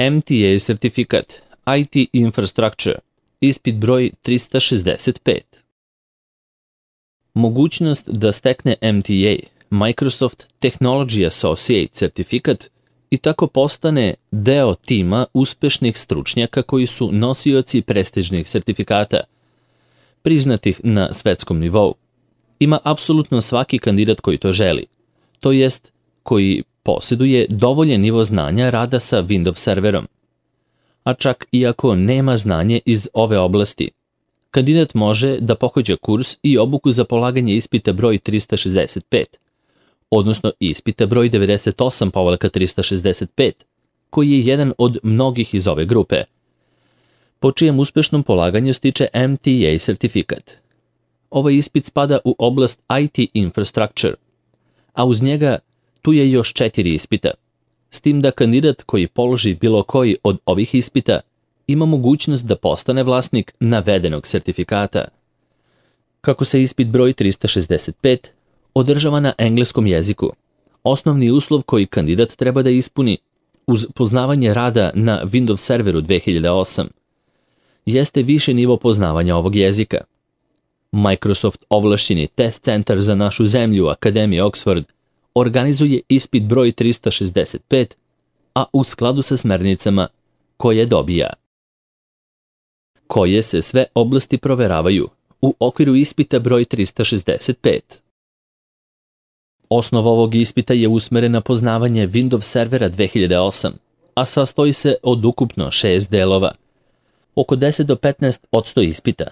MTA sertifikat, IT Infrastructure, ispit broj 365. Mogućnost da stekne MTA, Microsoft Technology Associate sertifikat, i tako postane deo tima uspešnih stručnjaka koji su nosioci prestižnih sertifikata, priznatih na svetskom nivou. Ima apsolutno svaki kandidat koji to želi, to jest koji posjeduje dovoljan nivo znanja rada sa Windows serverom. A čak i ako nema znanje iz ove oblasti, kandidat može da pohađa kurs i obuku za polaganje ispita broj 365, odnosno ispita broj 98/365, koji je jedan od mnogih iz ove grupe, po čijem uspešnom polaganju stiče MTA sertifikat. Ovaj ispit spada u oblast IT Infrastructure, a uz njega tu je još 4 ispita, s tim da kandidat koji položi bilo koji od ovih ispita ima mogućnost da postane vlasnik navedenog sertifikata. Kako se ispit broj 365 održava na engleskom jeziku, osnovni uslov koji kandidat treba da ispuni uz poznavanje rada na Windows serveru 2008 jeste više nivo poznavanja ovog jezika. Microsoft ovlašćeni test centar za našu zemlju Akademije Oxford organizuje ispit broj 365, a u skladu sa smernicama koje dobija. Koje se sve oblasti proveravaju u okviru ispita broj 365. Osnova ovog ispita je usmeren na poznavanje Windows servera 2008, a sastoji se od ukupno 6 delova. Oko 10 do 15% ispita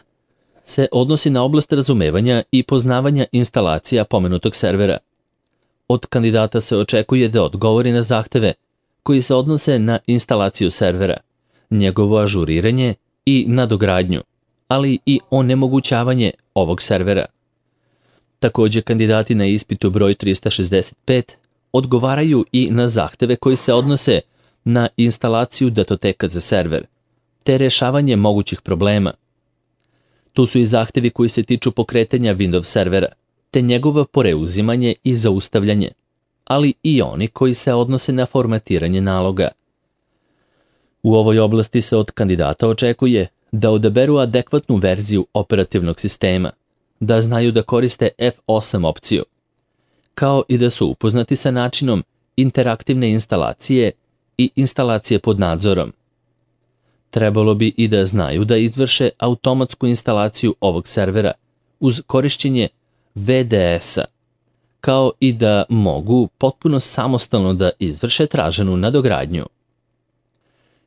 se odnosi na oblast razumevanja i poznavanja instalacija pomenutog servera. Od kandidata se očekuje da odgovori na zahteve koji se odnose na instalaciju servera, njegovo ažuriranje i nadogradnju, ali i onemogućavanje ovog servera. Također, kandidati na ispitu broj 365 odgovaraju i na zahteve koji se odnose na instalaciju datoteka za server, te rešavanje mogućih problema. Tu su i zahtevi koji se tiču pokretanja Windows servera, te njegovo preuzimanje i zaustavljanje, ali i oni koji se odnose na formatiranje naloga. U ovoj oblasti se od kandidata očekuje da odaberu adekvatnu verziju operativnog sistema, da znaju da koriste F8 opciju, kao i da su upoznati sa načinom interaktivne instalacije i instalacije pod nadzorom. Trebalo bi i da znaju da izvrše automatsku instalaciju ovog servera uz korišćenje VDS-a, kao i da mogu potpuno samostalno da izvrše traženu nadogradnju.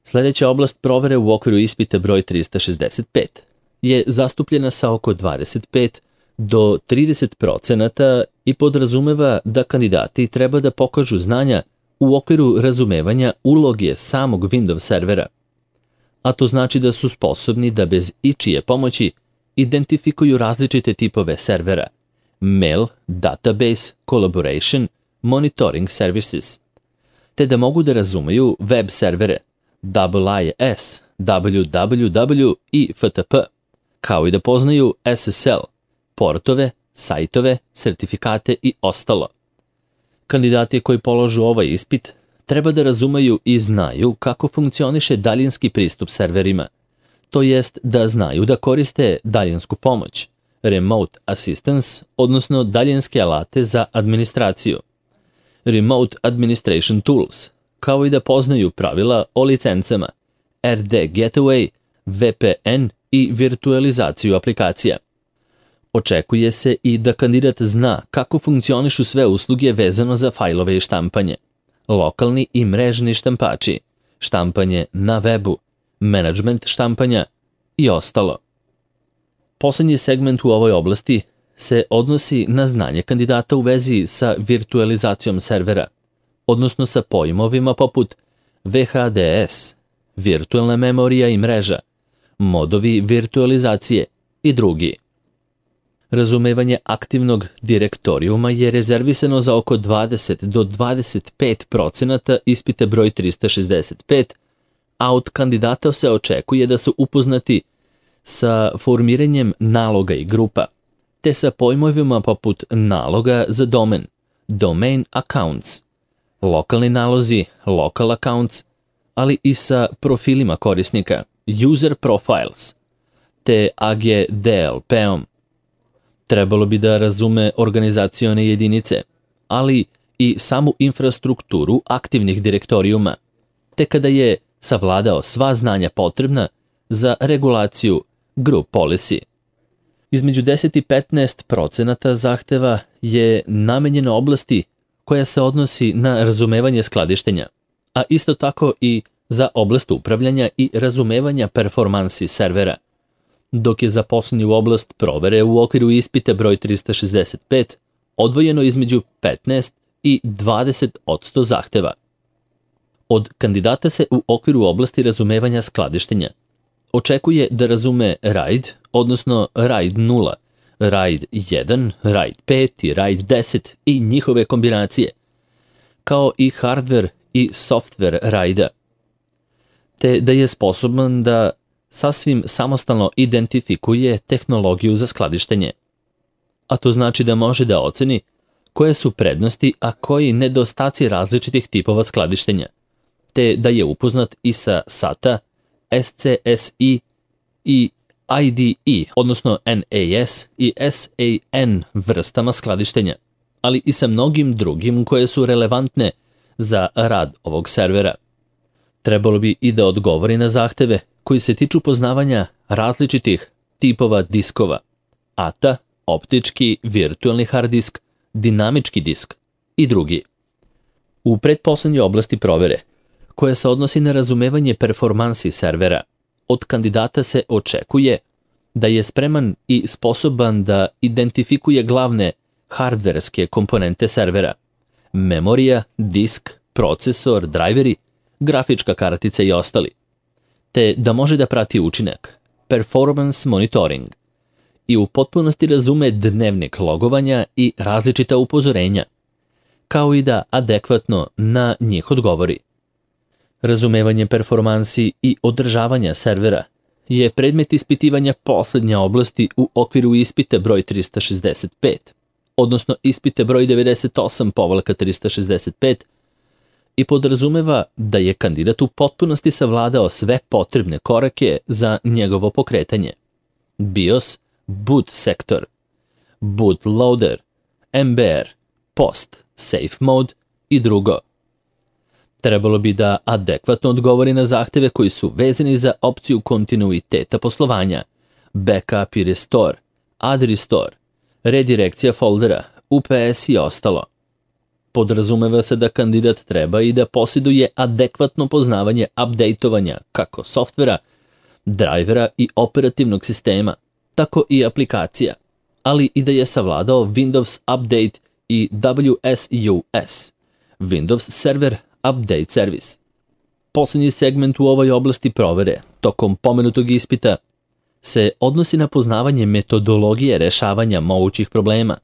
Sljedeća oblast provere u okviru ispita broj 365 je zastupljena sa oko 25 do 30% i podrazumeva da kandidati treba da pokažu znanja u okviru razumevanja uloge samog Windows servera, a to znači da su sposobni da bez ičije pomoći identifikuju različite tipove servera, mail, database, collaboration, monitoring services, te da mogu da razumeju web servere, WIS, www i FTP, kao i da poznaju SSL, portove, sajtove, sertifikate i ostalo. Kandidati koji položu ovaj ispit treba da razumeju i znaju kako funkcioniše daljinski pristup serverima, to jest da znaju da koriste daljinsku pomoć, remote assistance, odnosno daljinske alate za administraciju, remote administration tools, kao i da poznaju pravila o licencama, RD Gateway, VPN i virtualizaciju aplikacija. Očekuje se i da kandidat zna kako funkcionišu sve usluge vezano za fajlove i štampanje, lokalni i mrežni štampači, štampanje na webu, menadžment štampanja i ostalo. Poslednji segment u ovoj oblasti se odnosi na znanje kandidata u vezi sa virtualizacijom servera, odnosno sa pojmovima poput VHDS, virtualna memorija i mreža, modovi virtualizacije i drugi. Razumevanje aktivnog direktorijuma je rezervisano za oko 20 do 25% ispita broj 365, a od kandidata se očekuje da su upoznati sa formiranjem naloga i grupa, te sa pojmovima poput naloga za domen, domain accounts, lokalni nalozi, local accounts, ali i sa profilima korisnika, user profiles, te AGDLP-om. Trebalo bi da razume organizacione jedinice, ali i samu infrastrukturu aktivnih direktorijuma, te kada je savladao sva znanja potrebna za regulaciju group policy. Između 10 i 15% zahteva je namenjeno oblasti koja se odnosi na razumevanje skladištenja, a isto tako i za oblast upravljanja i razumevanja performansi servera, dok je za poslednju oblast provere u okviru ispita broj 365 odvojeno između 15 i 20% zahteva. Od kandidata se u okviru oblasti razumevanja skladištenja očekuje da razume RAID, odnosno RAID 0, RAID 1, RAID 5 i RAID 10 i njihove kombinacije, kao i hardware i software RAID-a, te da je sposoban da sasvim samostalno identifikuje tehnologiju za skladištenje. A to znači da može da oceni koje su prednosti, a koji nedostaci različitih tipova skladištenja, te da je upoznat i sa SATA, SCSI i IDE, odnosno NAS i SAN vrstama skladištenja, ali i sa mnogim drugim koje su relevantne za rad ovog servera. Trebalo bi i da odgovori na zahteve koji se tiču poznavanja različitih tipova diskova, ATA, optički, virtualni hard disk, dinamički disk i drugi. U pretposlednjoj oblasti provere, koja se odnosi na razumevanje performansi servera, od kandidata se očekuje da je spreman i sposoban da identifikuje glavne hardverske komponente servera, memorija, disk, procesor, drajveri, grafička kartica i ostali, te da može da prati učinak, performance monitoring, i u potpunosti razume dnevnik logovanja i različita upozorenja, kao i da adekvatno na njih odgovori. Razumevanje performansi i održavanja servera je predmet ispitivanja poslednje oblasti u okviru ispita broj 365, odnosno ispite broj 98/365, i podrazumeva da je kandidat u potpunosti savladao sve potrebne korake za njegovo pokretanje. BIOS, boot sektor, bootloader, MBR, post, safe mode i drugo. Trebalo bi da adekvatno odgovori na zahteve koji su vezani za opciju kontinuiteta poslovanja, backup i restore, add restore, redirekcija foldera, UPS i ostalo. Podrazumeva se da kandidat treba i da posjeduje adekvatno poznavanje updateovanja kako softvera, drajvera i operativnog sistema, tako i aplikacija, ali i da je savladao Windows Update i WSUS, Windows Server Update Service. Poslednji segment u ovoj oblasti provere, tokom pomenutog ispita, se odnosi na poznavanje metodologije rešavanja mogućih problema,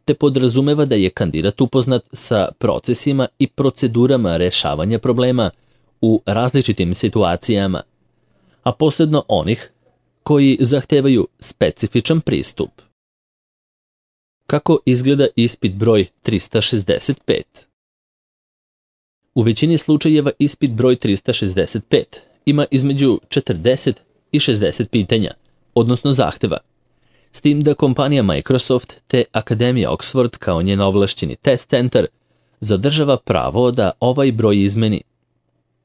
te podrazumeva da je kandidat upoznat sa procesima i procedurama rešavanja problema u različitim situacijama, a posebno onih koji zahtevaju specifičan pristup. Kako izgleda ispit broj 365? U većini slučajeva ispit broj 365 ima između 40 i 60 pitanja, odnosno zahteva, s tim da kompanija Microsoft te Akademija Oxford kao njen ovlašćeni test centar zadržava pravo da ovaj broj izmeni.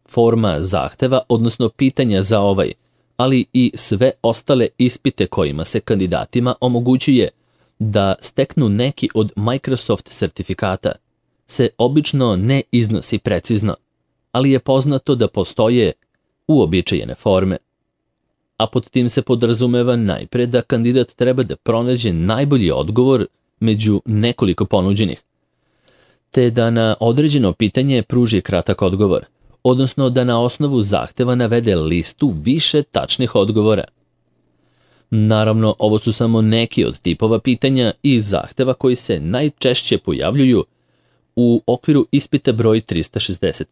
Forma zahteva, odnosno pitanja za ovaj, ali i sve ostale ispite kojima se kandidatima omogućuje da steknu neki od Microsoft sertifikata, se obično ne iznosi precizno, ali je poznato da postoje uobičajene forme. A pod tim se podrazumeva najpre da kandidat treba da pronađe najbolji odgovor među nekoliko ponuđenih, te da na određeno pitanje pruži kratak odgovor, odnosno da na osnovu zahteva navede listu više tačnih odgovora. Naravno, ovo su samo neki od tipova pitanja i zahteva koji se najčešće pojavljuju u okviru ispita broj 365.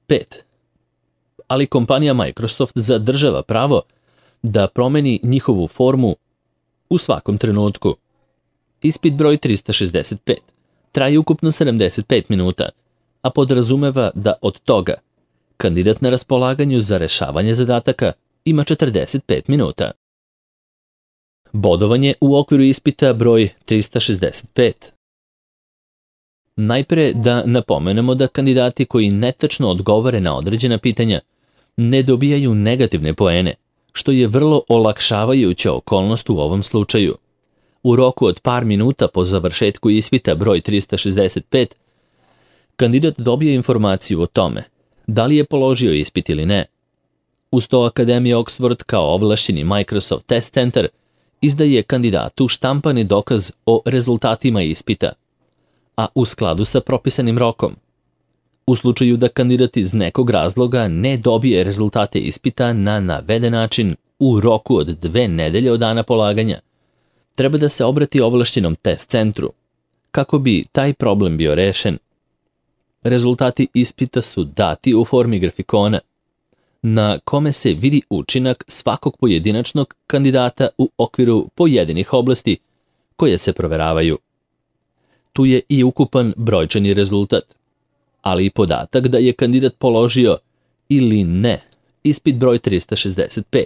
Ali kompanija Microsoft zadržava pravo da promeni njihovu formu u svakom trenutku. Ispit broj 365 traje ukupno 75 minuta, a podrazumeva da od toga kandidat na raspolaganju za rešavanje zadataka ima 45 minuta. Bodovanje u okviru ispita broj 365. Najpre da napomenemo da kandidati koji netačno odgovore na određena pitanja ne dobijaju negativne poene, što je vrlo olakšavajuća okolnost u ovom slučaju. U roku od par minuta po završetku ispita broj 365, kandidat dobije informaciju o tome da li je položio ispit ili ne. Uz to Akademija Oxford kao ovlašćeni Microsoft Test Center izdaje kandidatu štampani dokaz o rezultatima ispita, a u skladu sa propisanim rokom. U slučaju da kandidat iz nekog razloga ne dobije rezultate ispita na naveden način u roku od 2 nedelje od dana polaganja, treba da se obrati ovlašćenom test centru, kako bi taj problem bio rešen. Rezultati ispita su dati u formi grafikona, na kome se vidi učinak svakog pojedinačnog kandidata u okviru pojedinih oblasti koje se proveravaju. Tu je i ukupan brojčani rezultat, ali i podatak da je kandidat položio ili ne ispit broj 365.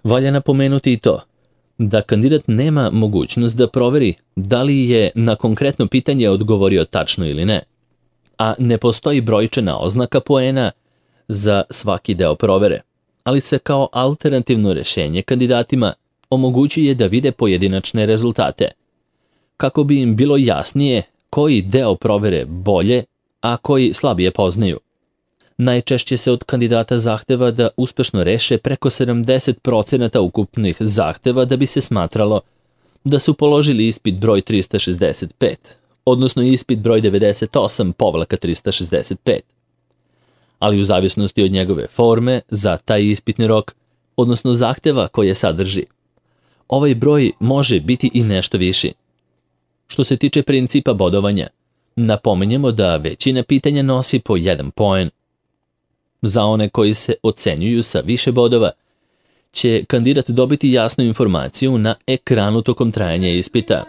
Valja napomenuti i to da kandidat nema mogućnost da proveri da li je na konkretno pitanje odgovorio tačno ili ne, a ne postoji brojčana oznaka poena za svaki deo provere, ali se kao alternativno rešenje kandidatima omogućuje da vide pojedinačne rezultate, kako bi im bilo jasnije koji deo provere bolje, a koji slabije poznaju. Najčešće se od kandidata zahteva da uspešno reše preko 70% ukupnih zahteva da bi se smatralo da su položili ispit broj 365, odnosno ispit broj 98/365. Ali u zavisnosti od njegove forme za taj ispitni rok, odnosno zahteva koje sadrži, ovaj broj može biti i nešto viši. Što se tiče principa bodovanja, napomenjemo da većina pitanja nosi po 1 poen. Za one koji se ocenjuju sa više bodova, će kandidat dobiti jasnu informaciju na ekranu tokom trajanja ispita.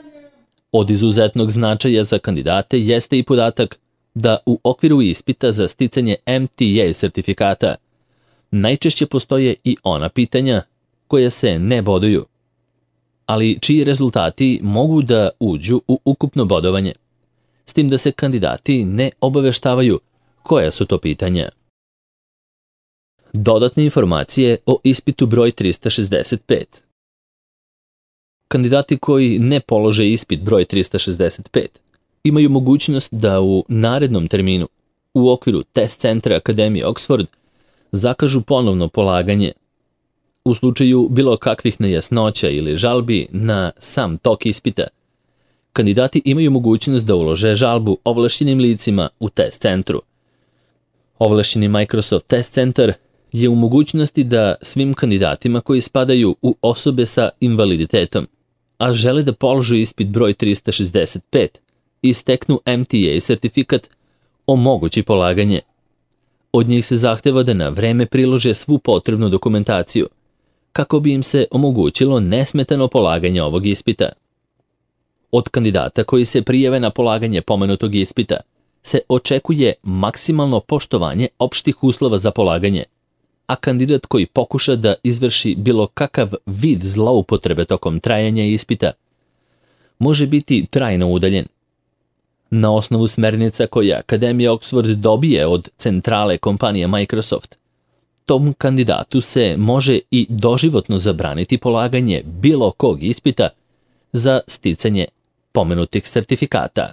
Od izuzetnog značaja za kandidate jeste i podatak da u okviru ispita za sticanje MTA sertifikata najčešće postoje i ona pitanja koja se ne boduju, ali čiji rezultati mogu da uđu u ukupno bodovanje, s tim da se kandidati ne obaveštavaju koja su to pitanja. Dodatne informacije o ispitu broj 365. Kandidati koji ne polože ispit broj 365 imaju mogućnost da u narednom terminu u okviru test centra Akademije Oxford zakažu ponovno polaganje. U slučaju bilo kakvih nejasnoća ili žalbi na sam tok ispita, kandidati imaju mogućnost da ulože žalbu ovlašćenim licima u test centru. Ovlašćeni Microsoft Test Center je u mogućnosti da svim kandidatima koji spadaju u osobe sa invaliditetom, a žele da položu ispit broj 365 i steknu MTA sertifikat, omogući polaganje. Od njih se zahteva da na vreme prilože svu potrebnu dokumentaciju, kako bi im se omogućilo nesmetano polaganje ovog ispita. Od kandidata koji se prijave na polaganje pomenutog ispita se očekuje maksimalno poštovanje opštih uslova za polaganje, a kandidat koji pokuša da izvrši bilo kakav vid zloupotrebe tokom trajanja ispita može biti trajno udaljen. Na osnovu smernica koje Akademija Oxford dobije od centrale kompanije Microsoft, tom kandidatu se može i doživotno zabraniti polaganje bilo kog ispita za sticanje pomenutih sertifikata.